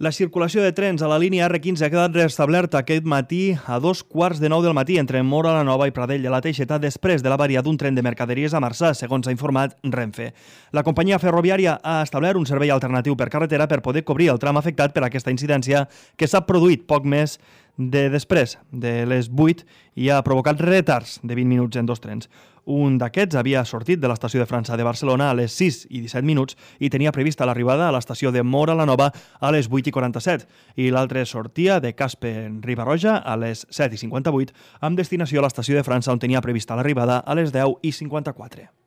La circulació de trens a la línia R15 ha quedat restablerta aquest matí a 2:15 del matí entre Móra la Nova i Pradell de la Teixeta després de l'avaria d'un tren de mercaderies a Marçà, segons ha informat Renfe. La companyia ferroviària ha establert un servei alternatiu per carretera per poder cobrir el tram afectat per aquesta incidència que s'ha produït poc més després de les 8 i ha provocat retards de 20 minuts en 2 trens. Un d'aquests havia sortit de l'estació de França de Barcelona a les 6:17 i tenia prevista l'arribada a l'estació de Móra la Nova a les 8:47 i l'altre sortia de Caspe en Riba-roja a les 7:58 amb destinació a l'estació de França on tenia prevista l'arribada a les 10:54.